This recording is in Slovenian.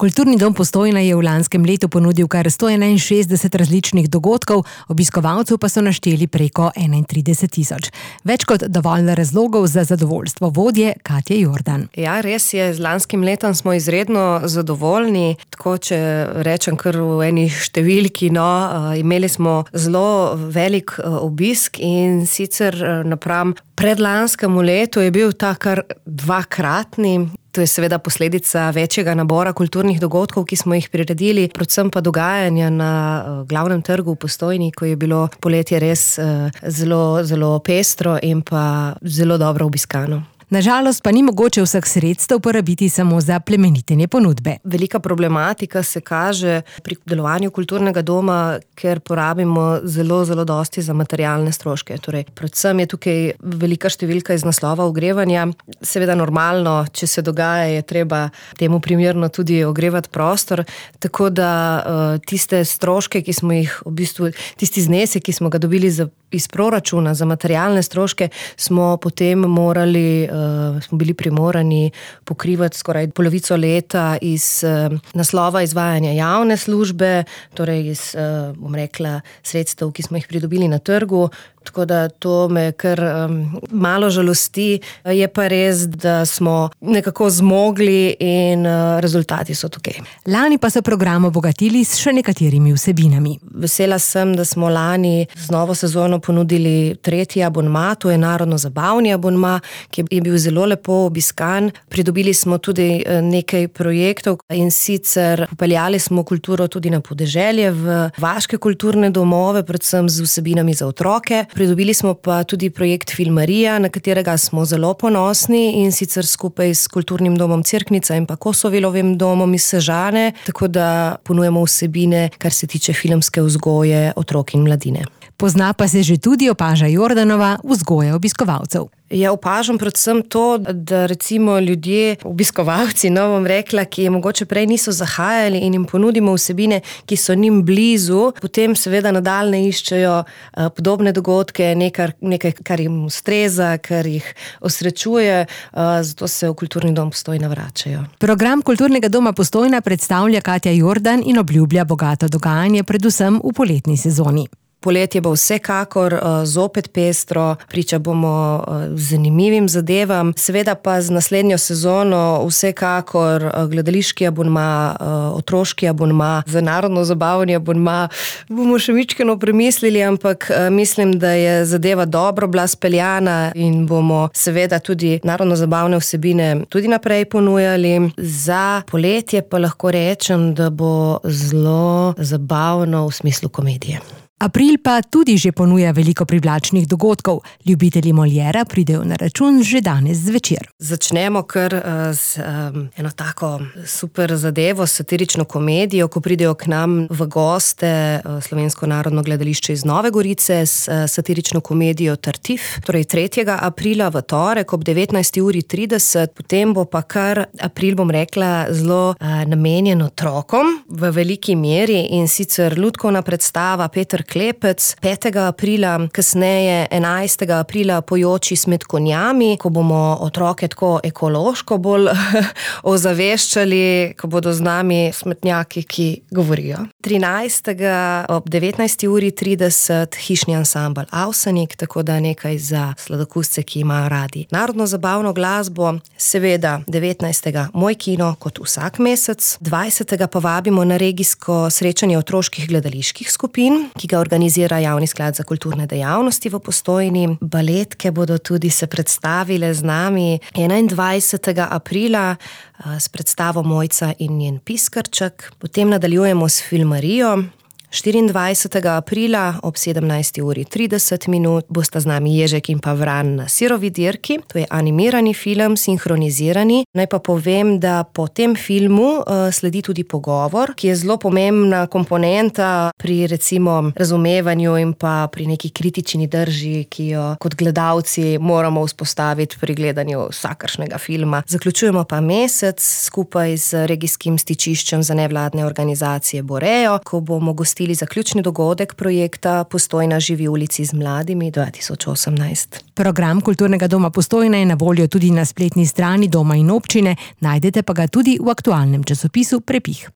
Kulturni dom Postojna je v lanskem letu ponudil kar 161 različnih dogodkov, obiskovalcev pa so našteli preko 31 000. Več kot dovolj razlogov za zadovoljstvo vodje Katje Jordan. Ja, res je, z lanskim letom smo izredno zadovoljni, tako če rečem kar v eni številki, imeli smo zelo velik obisk in sicer napram predlanskemu letu je bil ta kar dvakratni. To je seveda posledica večjega nabora kulturnih dogodkov, ki smo jih priredili, predvsem pa dogajanja na glavnem trgu v Postojni, ko je bilo poletje res zelo, zelo pestro in pa zelo dobro obiskano. Nažalost pa ni mogoče vseh sredstev porabiti samo za plemenitenje ponudbe. Velika problematika se kaže pri delovanju kulturnega doma, ker porabimo zelo, zelo dosti za materialne stroške. Torej, predvsem je tukaj velika številka iz naslova ogrevanja. Seveda normalno, če se dogaja, je treba temu primerno tudi ogrevati prostor, tako da tiste stroške, ki smo jih tisti znesek, ki smo ga dobili iz proračuna za materialne stroške, smo potem smo bili primorani pokrivati skoraj polovico leta iz naslova izvajanja javne službe, torej iz, sredstev, ki smo jih pridobili na trgu. Tako da to me kar malo žalosti. Je pa res, da smo nekako zmogli in rezultati so tukaj. Lani pa so program obogatili s še nekaterimi vsebinami. Vesela sem, da smo lani z novo sezono ponudili 3. abonma, to je narodno-zabavni abonma, ki je bil zelo lepo obiskan. Pridobili smo tudi nekaj projektov in sicer popeljali smo kulturo tudi na podeželje, v vaške kulturne domove, predvsem z vsebinami za otroke. Pridobili smo pa tudi projekt Filmarija, na katerega smo zelo ponosni in sicer skupaj s Kulturnim domom Cerknica in pa Kosovelovim domom iz Sežane, tako da ponujemo vsebine, kar se tiče filmske vzgoje otrok in mladine. Pozna pa se že tudi, opaža Jordanova, vzgoja obiskovalcev. Ja, opažam predvsem to, da recimo ljudje, obiskovalci, bom rekla, ki mogoče prej niso zahajali in jim ponudimo vsebine, ki so njim blizu, potem seveda nadaljne iščejo podobne dogodke, nekaj, kar jim ustreza, kar jih osrečuje, zato se v Kulturni dom Postojna vračajo. Program Kulturnega doma Postojna predstavlja Katja Jordan in obljublja bogato dogajanje, predvsem v poletni sezoni. Poletje bo vsekakor zopet pestro, priča bomo zanimivim zadevam, seveda pa z naslednjo sezono vsekakor gledališki abonma, otroški abonma, za narodno-zabavni abonma. Bomo še mičkeno premislili, ampak mislim, da je zadeva dobro bila speljana in bomo seveda tudi narodno-zabavne vsebine tudi naprej ponujali. Za poletje pa lahko rečem, da bo zelo zabavno v smislu komedije. April pa tudi že ponuja veliko privlačnih dogodkov. Ljubitelji Moliera pridejo na račun že danes zvečer. Začnemo kar z eno tako super zadevo, satirično komedijo, ko pridejo k nam v goste Slovensko narodno gledališče iz Nove Gorice s satirično komedijo Tartif. Torej 3. aprila v torek ob 19:30, potem bo pa kar april, bom rekla, zelo namenjen otrokom v veliki meri in sicer lutkovna predstava Peter Klepec, 5. aprila, kasneje 11. aprila Pojoči s konjami, ko bomo otroke tako ekološko bolj ozaveščali, ko bodo z nami smetnjaki, ki govorijo. 13. ob 19:30 hišni ansambel Avsenik, tako da nekaj za sladokusce, ki imajo radi narodno-zabavno glasbo. Seveda 19. Moj kino kot vsak mesec, 20. pa vabimo na regijsko srečanje otroških gledaliških skupin, ki ga organizira Javni sklad za kulturne dejavnosti v Postojni. Baletke bodo tudi se predstavile z nami 21. aprila s predstavo Mojca in njen piskrček. Potem nadaljujemo s Filmarijo. 24. aprila ob 17:30 bosta z nami Ježek in pa Vran na Sirovi dirki. To je animirani film, sinhronizirani. Naj pa povem, da po tem filmu sledi tudi pogovor, ki je zelo pomembna komponenta pri recimo razumevanju in pa pri neki kritični drži, ki jo kot gledalci moramo vzpostaviti pri gledanju vsakršnega filma. Zaključujemo pa mesec skupaj z regijskim stičiščem za nevladne organizacije Borejo, ko bomo gostili razglasili zaključni dogodek projekta Postojna živi v ulici z mladimi 2018. Program Kulturnega doma Postojna je na voljo tudi na spletni strani doma in občine, najdete pa ga tudi v aktualnem časopisu Prepih.